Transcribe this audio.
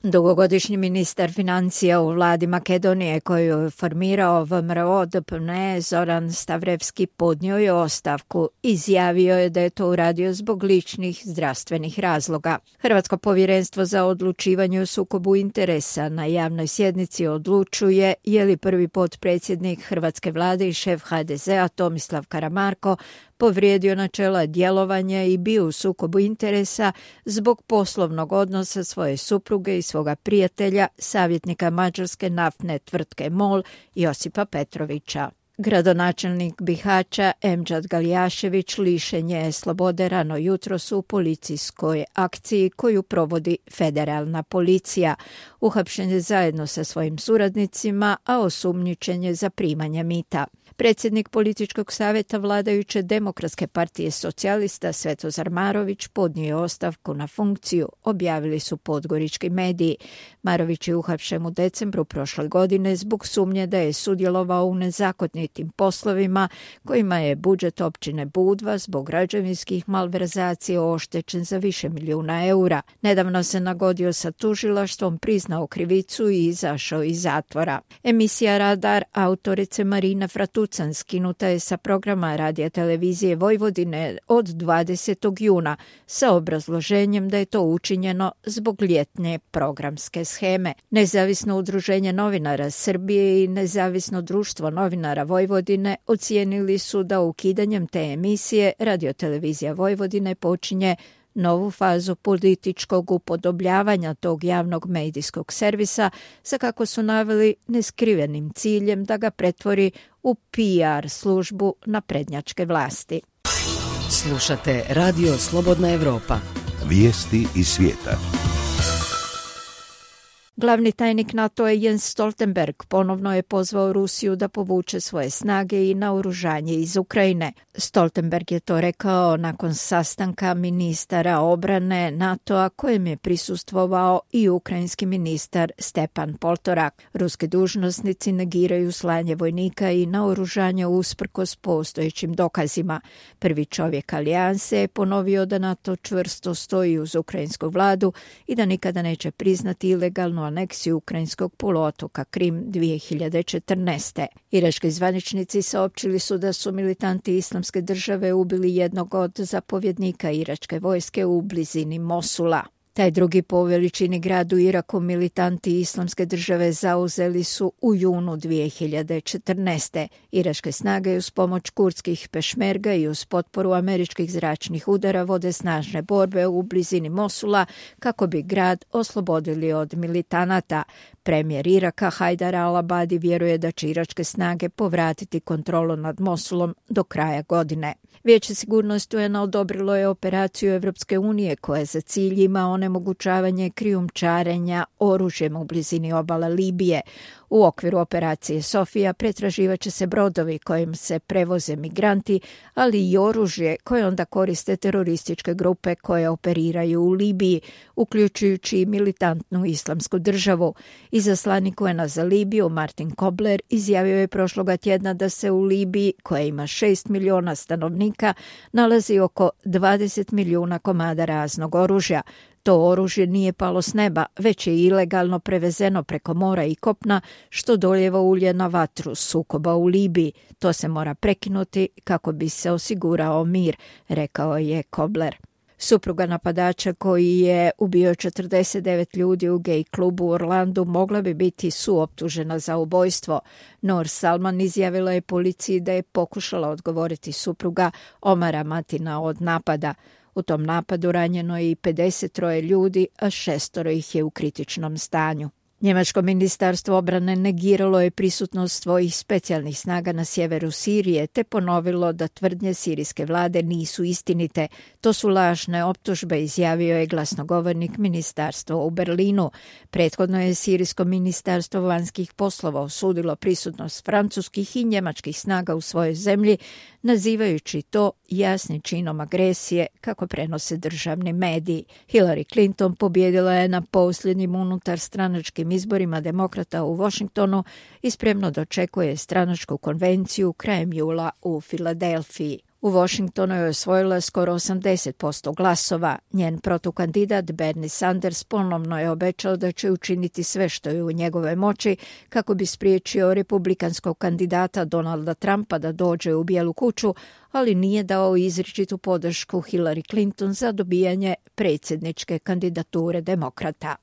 Dugogodišnji ministar financija u vladi Makedonije koju je formirao VMRO DPMNE Zoran Stavrevski podnio je ostavku. Izjavio je da je to uradio zbog ličnih zdravstvenih razloga. Hrvatsko povjerenstvo za odlučivanje o sukobu interesa na javnoj sjednici odlučuje je li prvi potpredsjednik hrvatske vlade i šef HDZ-a Tomislav Karamarko povrijedio načela djelovanja i bio u sukobu interesa zbog poslovnog odnosa svoje supruge i svoga prijatelja, savjetnika mađarske naftne tvrtke MOL Josipa Petrovića. Gradonačelnik Bihaća Emdžad Galjašević lišen je slobode rano jutros u policijskoj akciji koju provodi federalna policija. Uhapšen je zajedno sa svojim suradnicima, a osumnjičen je za primanje mita. Predsjednik političkog savjeta vladajuće Demokratske partije socijalista Svetozar Marović podnio je ostavku na funkciju, objavili su podgorički mediji. Marović je uhapšen u decembru prošle godine zbog sumnje da je sudjelovao u nezakonitim poslovima kojima je budžet općine Budva zbog građevinskih malverzacija oštećen za više milijuna eura. Nedavno se nagodio sa tužilaštvom, priznao krivicu i izašao iz zatvora. Emisija Radar autorice Marina Fratucan skinuta je sa programa Radija televizije Vojvodine od 20. juna sa obrazloženjem da je to učinjeno zbog ljetne programske sheme. Nezavisno udruženje novinara Srbije i Nezavisno društvo novinara Vojvodine ocijenili su da ukidanjem te emisije Radiotelevizija Vojvodine počinje novu fazu političkog upodobljavanja tog javnog medijskog servisa sa, kako su naveli, neskrivenim ciljem da ga pretvori u PR službu naprednjačke vlasti. Slušate Radio Slobodna Evropa. Vijesti iz svijeta. Glavni tajnik NATO-a Jens Stoltenberg ponovno je pozvao Rusiju da povuče svoje snage i naoružanje iz Ukrajine. Stoltenberg je to rekao nakon sastanka ministara obrane NATO-a kojem je prisustvovao i ukrajinski ministar Stepan Poltorak. Ruski dužnosnici negiraju slanje vojnika i naoružanja usprkos postojećim dokazima. Prvi čovjek alijanse je ponovio da NATO čvrsto stoji uz ukrajinsku vladu i da nikada neće priznati ilegalnu aneksiju ukrajinskog poluotoka Krim 2014. Irački zvaničnici saopćili su da su militanti Islamske države ubili jednog od zapovjednika iračke vojske u blizini Mosula. Taj drugi po veličini grad u Iraku militanti Islamske države zauzeli su u junu 2014. Iračke snage uz pomoć kurdskih pešmerga i uz potporu američkih zračnih udara vode snažne borbe u blizini Mosula kako bi grad oslobodili od militanata. Premijer Iraka Hajdar al-Abadi vjeruje da će iračke snage povratiti kontrolu nad Mosulom do kraja godine. Vijeće sigurnosti UN-a odobrilo je operaciju Evropske unije koja za cilj ima onemogućavanje krijumčarenja oružjem u blizini obale Libije. U okviru operacije Sofija pretraživat će se brodovi kojim se prevoze migranti, ali i oružje koje onda koriste terorističke grupe koje operiraju u Libiji, uključujući i militantnu Islamsku državu. Izaslanik UN-a za Libiju Martin Kobler izjavio je prošloga tjedna da se u Libiji, koja ima 6 miliona stanovnika, nalazi oko 20 milijuna komada raznog oružja. To oružje nije palo s neba, već je ilegalno prevezeno preko mora i kopna, što dolijeva ulje na vatru sukoba u Libiji. To se mora prekinuti kako bi se osigurao mir, rekao je Kobler. Supruga napadača koji je ubio 49 ljudi u gej klubu u Orlandu mogla bi biti suoptužena za ubojstvo. Noor Salman izjavila je policiji da je pokušala odgovoriti supruga Omara Matina od napada. U tom napadu ranjeno je i 53 ljudi, a 6 ih je u kritičnom stanju. Njemačko ministarstvo obrane negiralo je prisutnost svojih specijalnih snaga na sjeveru Sirije te ponovilo da tvrdnje sirijske vlade nisu istinite. To su lažne optužbe, izjavio je glasnogovornik ministarstva u Berlinu. Prethodno je sirijsko ministarstvo vanjskih poslova osudilo prisutnost francuskih i njemačkih snaga u svojoj zemlji, nazivajući to jasnim činom agresije, kako prenose državni mediji. Hillary Clinton pobjedila je na posljednjim unutarstranačkim izborima demokrata u Washingtonu i spremno dočekuje stranačku konvenciju krajem jula u Filadelfiji. U Washingtonu je osvojila skoro 80% glasova. Njen protukandidat Bernie Sanders ponovno je obećao da će učiniti sve što je u njegove moći kako bi spriječio republikanskog kandidata Donalda Trumpa da dođe u Bijelu kuću, ali nije dao izričitu podršku Hillary Clinton za dobijanje predsjedničke kandidature demokrata.